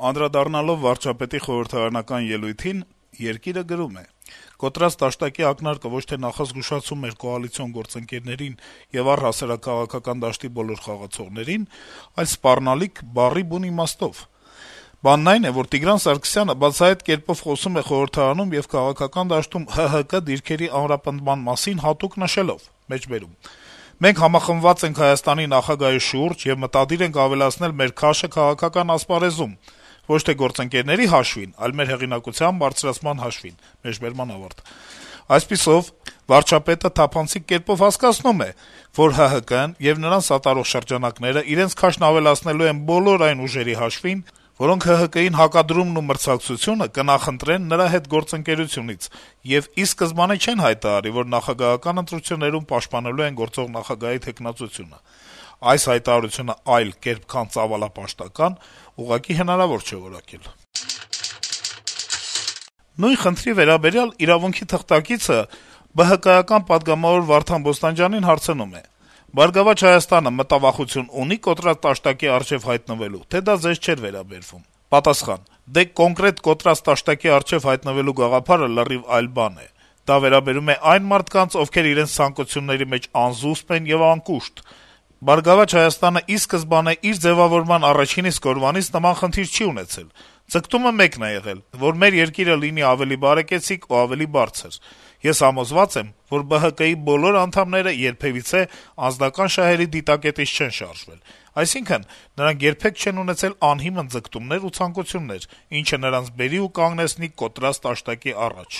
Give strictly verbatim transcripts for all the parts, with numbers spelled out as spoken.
Անդրադառնալով վարչապետի խորհրդարանական ելույթին, «Երկիր»-ը գրում է. - «Կոտրած դաշտակի ակնարկը ոչ թե նախազգուշացում էր կոալիցիոն գործընկերներին եւ առհասարակաղակական դաշտի բոլոր խաղացողներին, այլ սպառնալիք բառի բուն իմաստով: Բանն այն է, որ Տիգրան Սարգսյանը բացահայտ կերպով խոսում է խորհրդարանում եւ քաղաքական դաշտում ՀՀԿ դիրքերի ամրապնդման մասին հատուկ նշելով. «Մենք համախմբված ենք Հայաստանի նախագահի շուրջ եւ մտադիր ենք ավելացնել մեր քաշը քաղաքական ասպարեզում, ոչ թե գործընկերների հաշվին, այլ մեր հեղինակության բարձրացման հաշվին»: Այսպիսով, վարչապետը թափանցիկ կերպով հասկացնում է, որ ՀՀԿ-ն եւ նրան սատարող շրջանակները իրենց քաշն ավելացնելու են բոլոր այն ուժերի հաշվին, որոնք ՀՀԿ-ին հակադրումն ու մրցակցությունը կնախընտրեն նրա հետ գործընկերությունից եւ ի սկզբանե չեն հայտարարի, որ նախագահական ընտրություններում պաշտպանելու են գործող նախագահի թեկնածությունը: Այս հայտարարությունը այլ կերպ, քան ծավալապաշտական, ուղղակի հնարավոր չէ որակել»: Նույն խնդրի վերաբերյալ «Իրավունք»-ի թղթակիցը ԲՀԿ-ական պատգամավոր Վարդան Բոստանջյանին հարցնում է. - «Բարգավաճ Հայաստանը մտավախություն ունի՞ կոտրած դաշտակի առջեւ հայտնվելու, թե դա ձեզ չէր վերաբերվում»: Պատասխան. - «Դե կոնկրետ կոտրած դաշտակի առջեւ հայտնվելու գաղափարը լրիվ այլ բան է: Դա վերաբերում է այն մարդկանց, ովքեր իրենց ցանկությունների մեջ անզուսպ են եւ անկուշտ: Բարգավաճ Հայաստանը ի սկզբանե իր ձեւավորման առաջին իսկ օրվանից նման խնդիր չի ունեցել: Ձգտումը մեկն է եղել, որ մեր երկիրը լինի ավելի բարեկեցիկ ու ավելի բարձր: Ես համոզված եմ, որ ԲՀԿ-ի բոլոր անդամները երբեւիցե անձնական շահերի դիտակետից չեն շարժվել: Այսինքն` նրանք երբեք չեն ունեցել անհիմն ձգտումներ ու ցանկություններ, ինչը նրանց բերի ու կանգնեցնի կոտրած դաշտակի առաջ»: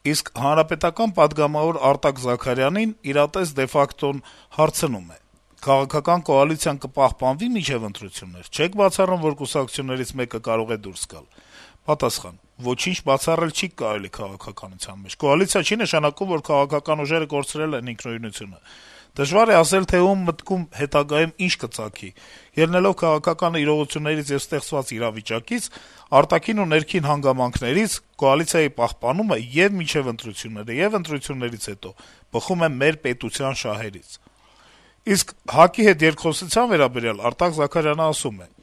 Իսկ Հանրապետական պատգամավոր Արտակ Զաքարյանին «Իրատես de facto»-ն հարցնում է. - «Քաղաքական կոալիցիան կպահպանվի՞ մինչեւ ընտրություններ: Չե՞ք բացառում, որ կուսակցություններից մեկը կարող է դուրս գալ»: Պատասխան. - «Ոչինչ բացառել չի կարելի քաղաքականության մեջ: Կոալիցիա չի նշանակում, որ քաղաքական ուժերը կորցրել են ինքնուրույնությունը: Դժվար է ասել, թե ում մտքում հետագայում ինչ կծագի: Ելնելով քաղաքական իրողություններից եւ ստեղծված իրավիճակից, արտաքին ու ներքին հանգամանքներից, կոալիցիայի պահպանումը ե՛ւ մինչեւ ընտրությունները, ե՛ւ ընտրություններից հետո բխում է մեր պետության շահերից»: Իսկ ՀԱԿ-ի հետ երկխոսության վերաբերյալ Արտակ Զաքարյանը ասում է. -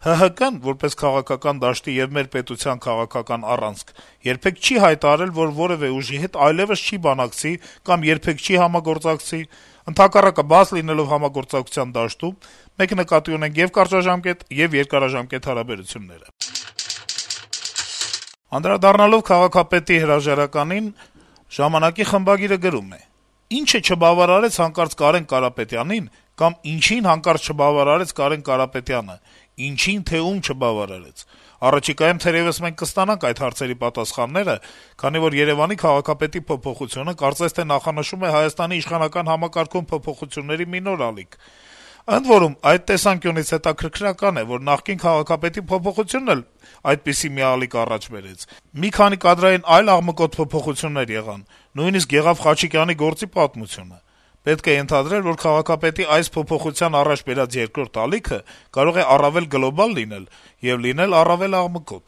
«ՀՀԿ-ն, որպես քաղաքական դաշտի եւ մեր պետության քաղաքական առանցք, երբեք չի հայտարարել, որ որեւէ ուժի հետ այլեւս չի բանակցի կամ երբեք չի համագործակցի: Ընդհակառակը, բաց լինելով համագործակցության դաշտում, մենք նկատի ունենք ե՛ւ կարճաժամկետ, ե՛ւ երկարաժամկետ հարաբերությունները»: Անդրադառնալով քաղաքապետի հրաժարականին, «Ժամանակ»-ի խմբագիրը գրում է. - «Ի՞նչը չբավարարեց հանկարծ Կարեն Կարապետյանին կամ ինչի՞ն հանկարծ չբավարարեց Կարեն Կարապետյանը, ինչի՞ն, թե ում չբավարարեց: Առաջիկայում թերեւս մենք կստանանք այդ հարցերի պատասխանները, քանի որ Երեւանի քաղաքապետի փոփոխությունը կարծես թե նախանշում է Հայաստանի իշխանական համակարգում փոփոխությունների մի նոր ալիք: Ընդ որում, այդ տեսանկյունից հետաքրքրական է, որ նախկին քաղաքապետի փոփոխությունն էլ այդպիսի մի ալիք առաջ բերեց: Մի քանի կադրային այլ աղմկոտ փոփոխություններ եղան, նույնիսկ եղավ Խաչիկյանի գործի պատմությունը: Պետք է ենթադրել, որ քաղաքապետի այս փոփոխության առաջ բերած երկրորդ ալիքը կարող է առավել գլոբալ լինել եւ լինել առավել աղմկոտ: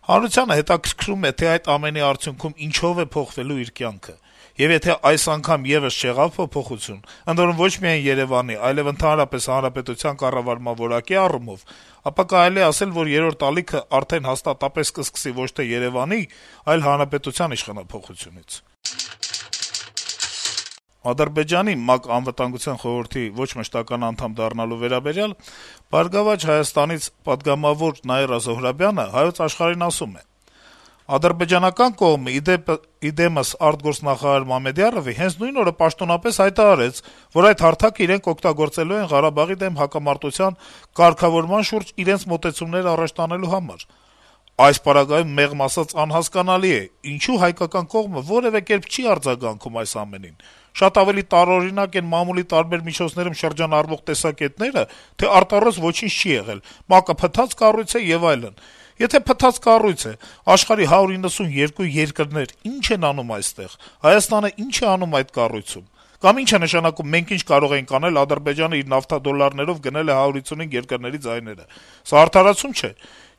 Հանրությանը հետաքրքրում է, թե այդ ամենի արդյունքում ինչով է փոխվելու իր կյանքը: Եվ եթե այս անգամ եւս չեղավ փոփոխություն, ընդ որում ոչ միայն Երեւանի, այլեւ ընդհանրապես հանրապետության կառավարման որակի առումով, ապա կարելի է ասել, որ երրորդ ալիքը արդեն հաստատապես կսկսի ոչ թե Երեւանի, այլ հանրապետության իշխանափոխությունից»: Ադրբեջանի ՄԱԿ Անվտանգության խորհրդի ոչ մշտական անդամ դառնալու վերաբերյալ «Բարգավաճ Հայաստան»-ից պատգամավոր Նաիրա Զոհրաբյանը «Հայոց Աշխարհ»-ին ասում է. - «Ադրբեջանական կողմը, ի դեմս արտգործնախարար Մամեդյարովի, հենց նույն օրը պաշտոնապես հայտարարեց, որ այդ հարթակը իրենք օգտագործելու են Ղարաբաղի դեմ հակամարտության կարգավորման շուրջ իրենց մոտեցումներ առաջ տանելու համար: Այս պարագայում, մեղմ ասած, անհասկանալի է, ինչու հայկական կողմը որեւէ կերպ չի արձագանքում այս ամենին: Շատ ավելի տարօրինակ են մամուլի տարբեր միջոցներում շրջանառվող տեսակետները, թե արտառոց ոչինչ չի եղել, ՄԱԿ-ը փտած կառույց է եւ այլն: Եթե փտած կառույց է, աշխարհի հարյուր իննսունյոթ երկրներ ի՞նչ են անում այստեղ, Հայաստանը ի՞նչ է անում այդ կառույցում: Կամ ի՞նչ է նշանակում մենք ինչ կարող էինք անել, Ադրբեջանը իր նավթադոլարներով գնել է հարյուր ութսունհինգ երկրների ձայները: Սա արդարացում չէ: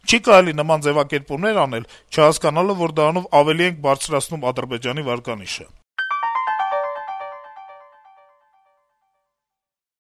Չի կարելի նման ձեւակերպումներ անել` չհասկանալով, որ դրանով ավելի ենք բարձրացնում Ադրբեջանի վարկանիշը»: